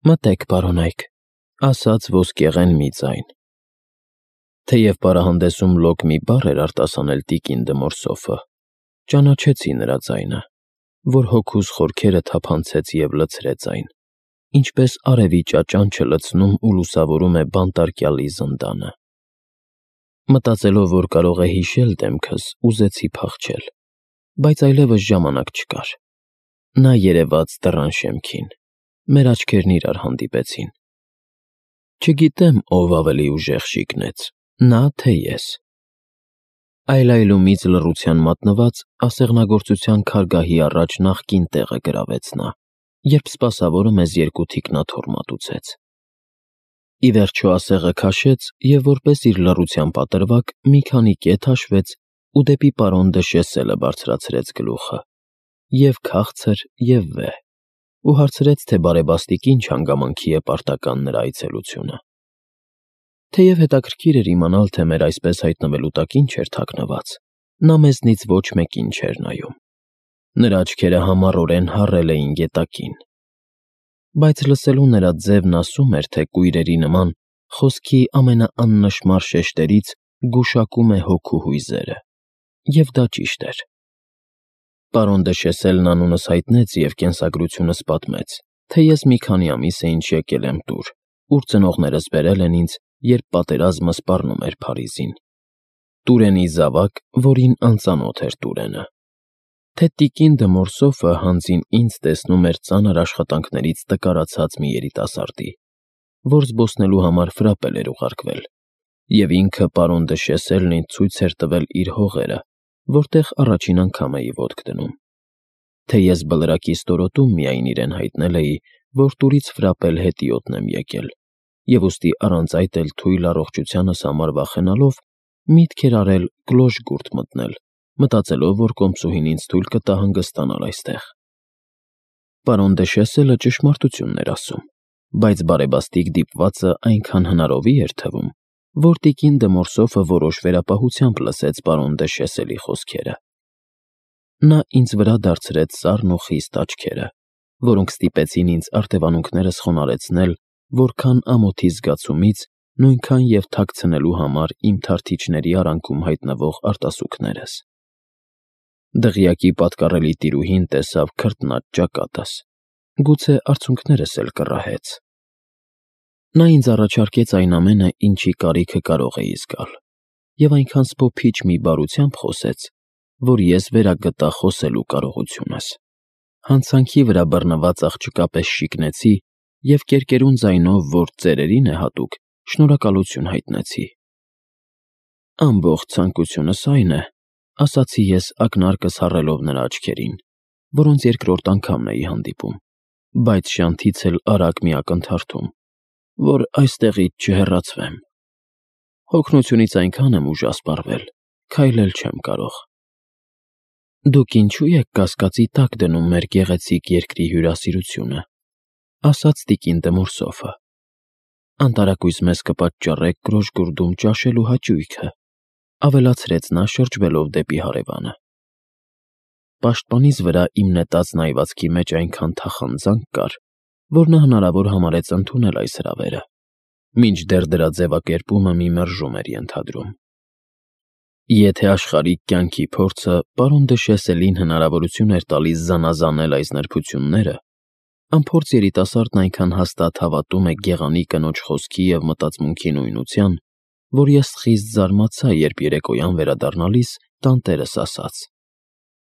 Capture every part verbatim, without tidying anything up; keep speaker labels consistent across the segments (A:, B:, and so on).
A: Մտեք, պարոնայք, ասաց ոսկեղեն մի ձայն։ Թեև պարահանդեսում լոկ մի բառ էր արտասանել տիկին Դմորսոֆը, ճանաչեցի նրա ձայնը, որ հոգուս խորքերը թափանցեց և լցրեց այն, ինչպես արևի ճաճանչը լցնում ու լուսավորում է բանտարկյալի զնդանը։ Մտածելով, որ կարող է հիշել դեմքս, ուզեցի փախչել, բայց այլևս ժամանակ չկար։ Նա երևաց դռան շեմքին, մեր աչքերն իրար հանդիպեցին։ Չգիտեմ, ով ավելի ուժեղ շիկնեց, նա թե ես։ Այլայլումից լռության մատնված ասեղնագործության քարգահի առաջ նախկին տեղը գրավեց նա, երբ սպասավորը մեզ երկու թիկնաթոռ մատուցեց։ Ի վերջո ասեղը քաշեց և որպես իր լռության պատրվակ մի քանի կետ հաշվեց ու դեպի պարոն դը Շեսելը բարձրացրեց գլուխը, և քաղցր, և վեհ, ու հարցրեց, թե բարեբաստիկ ինչ հանգամանքի է պարտական նրա այցելությունը։ Թեև հետաքրքիր էր իմանալ, թե մեր այսպես հայտնվելու տակ ինչ էր թաքնված, նա մեզնից ոչ մեկին չէր նայում։ Նրա աչքերը համառորեն հառել էին գետակին։ Բայց լսելու նրա ձևն ասում էր, թե կույրերի նման խոսքի ամենաաննշմար շեշտերից գուշակում է հոգու հույզերը, և դա ճիշտ էր։ Պարոն դը Շեսելն անունս հայտնեց և կենսագրությունս պատմեց, թե ես մի քանի ամիս է ինչ եկել եմ տուր, ուր ծնողներս բերել են ինձ, երբ պատերազմը սպառնում էր Փարիզին, Տուրենի զավակ, որին անծանոթ էր Տուրենը, թե տիկին Դմորսոֆը հանձին ինձ տեսնում էր ծանր աշխատանքներից տկարացած մի երիտասարդի, որ զբոսնելու համար Ֆրապել էր ուղարկվել, և ինքը պարոն դը Շեսելն ինձ ցույց էր տվել իր հողերը, որտեղ առաջին անգամ էի ոտք դնում, թե ես բլրակի ստորոտում միայն իրեն հայտնել էի, որ տուրից Ֆրապել հետիոտն եմ եկել, և ուստի առանց այդ էլ թույլ առողջությանս համար վախենալով, միտք էր արել Կլոշգուրտ մտնել, մտածելով, որ կոմսուհին ինձ թույլ կտա հանգստանալ այստեղ։ Պարոն դը Շեսելը ճշմարտությունն էր ասում, բայց բարեբաստիկ դիպվածը այնքան հնարովի էր թվում, որ տիկին Դմորսոֆը որոշ վերապահությամբ լսեց պարոն դը Շեսելի խոսքերը։ Նա ինձ վրա դարձրեց սառն ու խիստ աչքերը, որոնք ստիպեցին ինձ արտևանունքներս խոնարհեցնել որքան ամոթի զգացումից, նույնքան և թաքցնելու համար իմ թարթիչների արանքում հայտնվող արտասուքներս։ Դղյակի պատկառելի տիրուհին տեսավ քրտնած ճակատս, գուցե արցունքներս էլ կռահեց։ Նա ինձ առաջարկեց այն ամենը, ինչի կարիքը կարող էի զգալ, և այնքան սփոփիչ մի բարությամբ խոսեց, որ ես վերագտա խոսելու կարողությունս։ Հանցանքի վրա բռնված աղջկա պես շիկնեցի և կերկերուն ձայնով, որ ծերերին է հատուկ, շնորհակալություն հայտնեցի։ Ամբողջ ցանկությունս այն է, ասացի ես ակնարկս հառելով նրա աչքերին, որոնց երկրորդ անգամն էի հանդիպում, բայց շանթից էլ արագ մի ակնթարթում, որ այստեղից չհեռացվեմ։ Հոգնությունից այնքան եմ ուժասպառվել, քայլել չեմ կարող։ Դուք ինչո՞ւ եք կասկածի տակ դնում մեր գեղեցիկ երկրի հյուրասիրությունը, ասաց տիկին Դմորսոֆը։ Անտարակույս մեզ կպատճառեք Կլոշգուրդում ճաշելու հաճույքը, ավելացրեց նա շրջվելով դեպի հարևանը։ Պաշտպանիս վրա իմ նետած նայվածքի մեջ այնքան թախանձանք կար, որ նա հնարավոր համարեց ընդունել այս հրավերը, մինչդեռ դրա ձևակերպումը մի մերժում էր ենթադրում։ Եթե աշխարհիկ կյանքի փորձը պարոն դը Շեսելին հնարավորություն էր տալիս զանազանել այս նրբությունները, անփորձ երիտասարդն այնքան հաստատ հավատում է գեղանի կնոջ խոսքի և մտածմունքի նույնության, որ ես խիստ զարմացա, երբ երեկոյան վերադառնալիս տանտերս ասաց.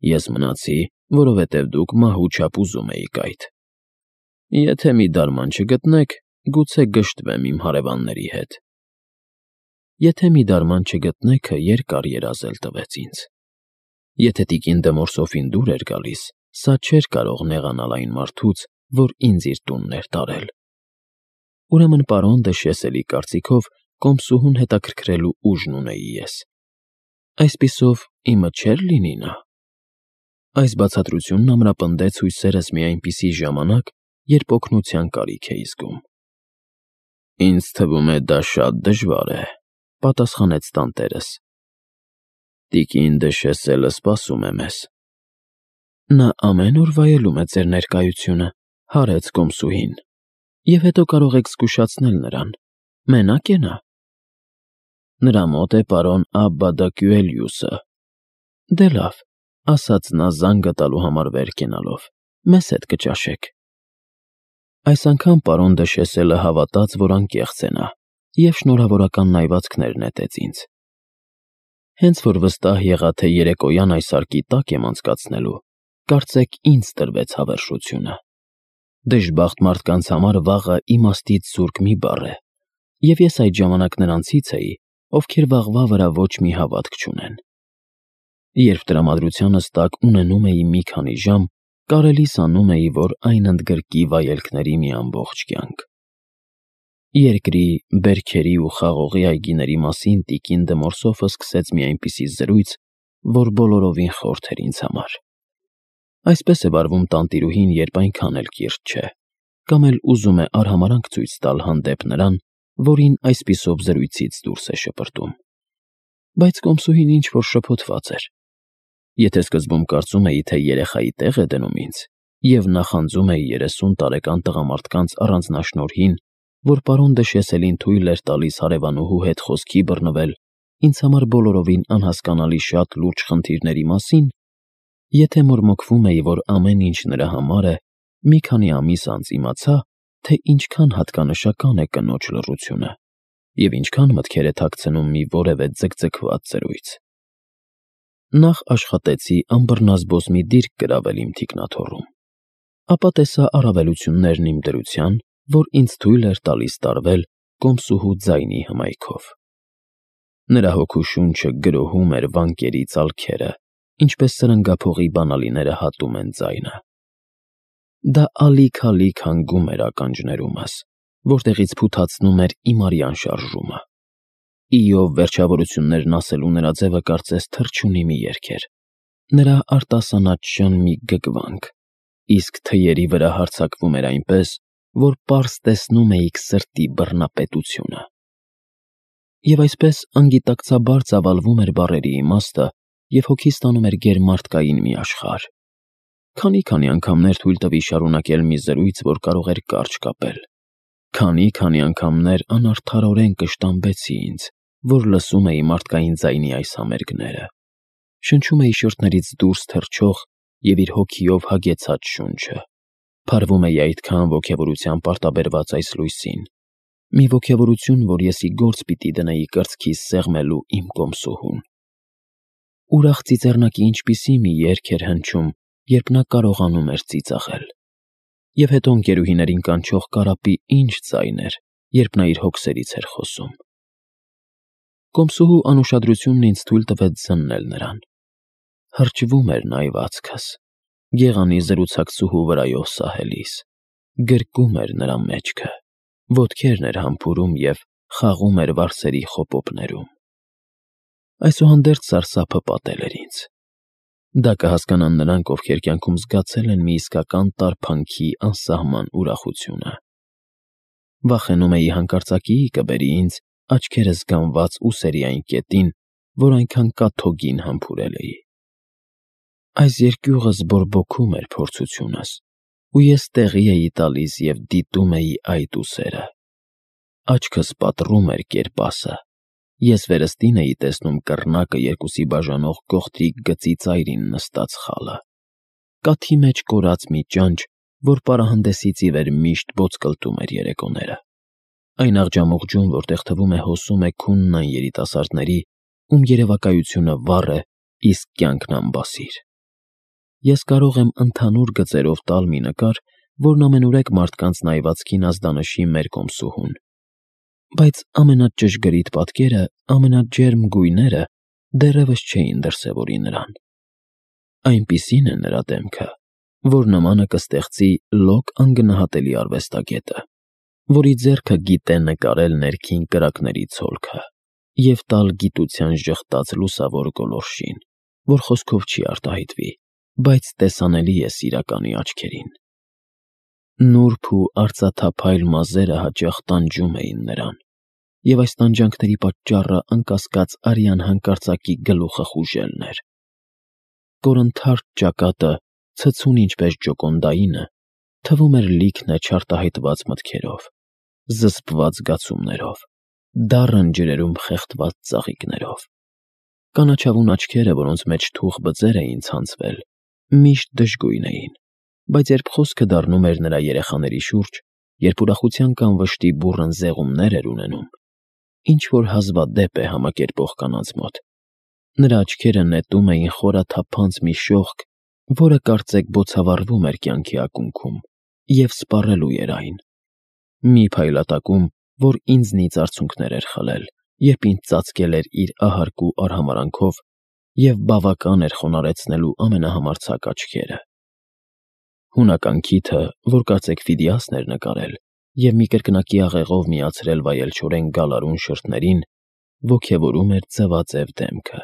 A: «Ես մնացի, որովհետև դուք մահուչապ ուզում էիք այդ։ Եթե մի դարման չգտնեք, գուցե գժտվեմ իմ հարևանների հետ»։ «Եթե մի դարման չգտնեք»-ը երկար երազել տվեց ինձ։ Եթե տիկին Դմորսոֆին դուր էր գալիս, սա չէր կարող նեղանալ այն մարդուց, որ ինձ իր տունն էր տարել։ Ուրեմն պարոն դը Շեսելի կարծիքով կոմսուհուն հետաքրքրելու ուժն ունեի ես։ Այսպիսով, իմը չէ՞ր լինի նա։ Այս բացատրությունն ամրապնդեց հույսերս մի այնպիսի ժամանակ, երբ օգնության կարիք էի զգում։ «Ինձ թվում է, դա շատ դժվար է», պատասխանեց տանտերս։ «Տիկին դը Շեսելը սպասում է մեզ»։ Նա ամեն օր վայելում է ձեր ներկայությունը, հարեց կոմսուհին։ Եվ հետո կարող եք զգուշացնել նրան. մենակ է նա։ Նրա մոտ է պարոն Աբբադակյուելիուսը։ Դե լավ, ասաց նա զանգը տալու համար վեր կենալով, մեզ հետ կճաշեք։ Այս անգամ պարոն Դշեսելը հավատաց, որ անկեղծ է նա, և շնորհավորական նայվածքներ նետեց ինձ։ Հենց որ վստահ եղա, թե երեկոյան այս արկի տակ եմ անցկացնելու, կարծեք ինձ տրվեց հավերժությունը։ Դժբախտ մարդկանց համար վաղը իմաստից զուրկ մի բառ է, և ես այդ ժամանակ նրանցից էի, ովքեր վաղվա վրա ոչ մի հավատք չունեն։ Երբ տրամադրությանս տակ ունենում էի մի քանի ժամ, կարելիս անում էի, որ այն ընդգրկի վայելքների մի ամբողջ կյանք։ Երկրի, բերքերի ու խաղողի այգիների մասին տիկին Դմորսոֆը սկսեց մի այնպիսի զրույց, որ բոլորովին խորթ էր ինձ համար։ Այսպես է վարվում տանտիրուհին, երբ այնքան էլ կիրթ չէ, կամ էլ ուզում է արհամարհանք ցույց տալ հանդեպ նրան, որին այսպիսով զրույցից դուրս է շպրտում։ Բայց կոմսուհին ինչ-որ շփոթված էր։ Եթե սկզբում կարծում էի, թե երեխայի տեղ է դնում ինձ, և նախանձում էի երեսուն տարեկան տղամարդկանց առանձնաշնորհին, որ պարոն Դշեսելին թույլ էր տալիս հարևանուհու հետ խոսքի բռնվել ինձ համար բոլորովին անհասկանալի շատ լուրջ խնդիրների մասին, եթե մորմոքվում էի, որ ամեն ինչ նրա համար է, մի քանի ամիս անց իմացա, թե ինչքան հատկանշական է կնոջ լռությունը և ինչքան մտքեր է թաքցնում մի որևէ ձգձգված զրույց։ Նախ աշխատեցի անբռնազբոս մի դիրք գրավել իմ թիկնաթոռում, ապա տեսա առավելություններն իմ դրության, որ ինձ թույլ էր տալիս տարվել կոմսուհու ձայնի հմայքով։ Նրա հոգու շունչը գրոհում էր վանկերի ծալքերը, ինչպես սրընգափողի բանալիները հատում են ձայնը։ Դա ալիք-ալիք հանգում էր ականջներումս, որտեղից փութացնում էր իմ արյան շարժումը։ Իով վերջավորություններն ասելու նրա ձևը կարծես թռչունի մի երգ էր, նրա արտասանած մի գգվանք, իսկ թեյերի վրա հարձակվում էր այնպես, որ պարզ տեսնում էիք սրտի բռնապետությունը։ Եվ այսպես անգիտակցաբար ծավալվում էր բառերի իմաստը և հոգիս տանում էր գերմարդկային մի աշխարհ։ Քանի-քանի անգամներ թույլ տվի շարունակել մի զրույց, որ կարող էր կարճ կապել։ Քանի-քանի անգամներ անարդարորեն կշտամբեցի ինձ, որ լսում էի մարդկային ձայնի այս համերգները, շնչում էի շրթներից դուրս թռչող և իր հոգիով հագեցած շունչը, փարվում էի այդքան ոգևորության պարտաբերված այս լույսին, մի ոգևորություն, որ ես ի գործ պիտի դնեի կրծքիս սեղմելու իմ կոմսուհուն։ Ուրախ ծիծեռնակի ինչպիսի մի երգ էր հնչում, երբ նա կարողանում էր ծիծաղել։ Եվ հետո ընկերուհիներին կանչող կարապի ինչ ձայն էր, երբ նա իր հոգսերից էր խոսում։ Կոմսուհու անուշադրությունն ինձ թույլ տվեց զննել նրան։ Հրճվում էր նա այվածքս, գեղանի զրուցակցուհու վրայով սահելիս, գրկում էր նրա մեջքը, ոտքերն էր համբուրում և խաղում էր վարսերի խոպոպներում։ Այսուհանդերձ սարսափը պատել էր ինձ։ Դա կհասկանան նրանք, ովքեր կյանքում զգացել են մի իսկական տարփանքի անսահման ուրախությունը։ Վախենում էի հանկարծակիի կբերի ինձ աչքերս գամված ուսերի այն կետին, որ այնքան կաթոգին համբուրել էի։ Այս երկյուղս բորբոքում էր փորձությունս, ու ես տեղի էի տալիս և դիտում էի այդ ուսերը։ Աչքս պատռում էր կերպասը, ես վերստին էի տեսնում կռնակը երկուսի բաժանող գողտրիկ գծի ծայրին նստած խալը, կաթի մեջ կորած մի ճանճ, որ պարահանդեսից ի վեր միշտ բոծկլտում էր երեկոները, այն աղջամուղջում, որտեղ թվում է հոսում է քունն այն երիտասարդների, ում երևակայությունը վառ է, իսկ կյանքն անբասիր։ Ես կարող եմ ընդհանուր գծերով տալ մի նկար, որն ամենուրեք մարդկանց նայվածքին ազդանշի մեր կոմսուհուն, բայց ամենաճշգրիտ պատկերը, ամենաջերմ գույները դեռևս չէին դրսևորի նրան։ Այնպիսին է նրա դեմքը, որ նմանը կստեղծի լոկ անգնահատելի արվեստագետը, որի ձեռքը գիտե նկարել ներքին կրակների ցոլքը և տալ գիտության ժխտած լուսավոր գոլորշին, որ խոսքով չի արտահայտվի, բայց տեսանելի է սիրականի աչքերին։ Նուրբ ու արծաթափայլ մազերը հաճախ տանջում էին նրան, և այս տանջանքների պատճառը անկասկած արյան հանկարծակի գլուխը խուժելն էր։ Կորնթարթ ճակատը, ցցուն ինչպես ջոկոնդայինը, թվում էր լիքն է չարտահայտված մտքերով, զսպված զգացումներով, դառն ջրերում խեղդված ծաղիկներով։ Կանաչավուն աչքերը, որոնց մեջ թուխ բծեր էին ցանցվել, միշտ դժգույն էին, բայց երբ խոսքը դառնում էր նրա երեխաների շուրջ, երբ ուրախության կամ վշտի բուռն զեղումներ էր ունենում, ինչ-որ հազվադեպ է համակերպող կանանց մոտ, նրա աչքերը նետում էին խորաթափանց մի շողք, որը կարծեք բոցավառվում էր կյանքի ակունքում և սպառելու էր այն։ Մի փայլատակում, որ ինձնից արցունքներ էր խլել, երբ ինձ ծածկել էր իր ահարկու արհամարհանքով և բավական էր խոնարհեցնելու ամենահամարձակ աչքերը։ Հունական քիթը, որ կարծեք Ֆիդիասն էր նկարել և մի կրկնակի աղեղով միացրել վայելչորեն գալարուն շրթներին, ոգևորում էր ձվաձև դեմքը,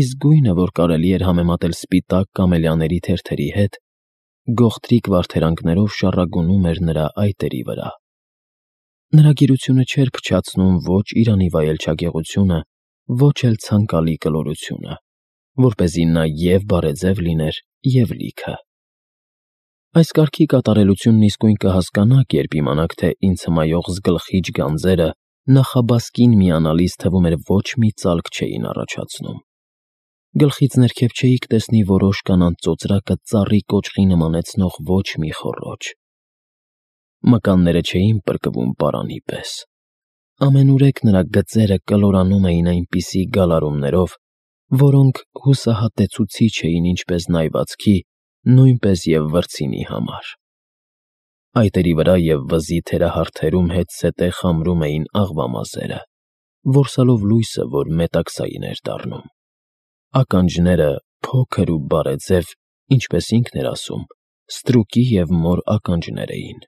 A: իսկ գույնը, որ կարելի էր համեմատել սպիտակ կամելիաների թերթերի հետ, գողտրիկ վարդերանքներով շառագունում էր նրա այտերի վրա։ Նրա գիրությունը չէր փչացնում ոչ Իրանի վայելչագեղությունը, ոչ էլ ցանկալի կլորությունը, որպեսզի նա և՛ բարեձև լիներ, և՛ լիքը։ Այս կարգի կատարելությունն իսկույն կհասկանաք, երբ իմանաք, թե ինձ հմայող զգլխիչ գանձերը նախաբասկին միանալիս, թվում էր, ոչ մի ծալք չէին առաջացնում։ Գլխից ներքև չէիք տեսնի որոշ կանանց ծոծրակը ծառի կոճղի նմանեցնող ոչ մի խոռոչ։ Մկանները չէին պրկվում պարանի պես։ Ամենուրեք նրա գծերը կլորանում էին այնպիսի գալարումներով, որոնք հուսահատեցուցիչ էին ինչպես նայվածքի, նույնպես և վրձինի համար։ Այտերի վրա և վզի թերահարթերում հետզհետե խամրում էին աղվամազերը, որսալով լույսը, որ մետաքսային էր դառնում։ Ականջները փոքր ու բարեձև, ինչպես ինքն էր ասում, ստրուկի և մոր ականջներ էին։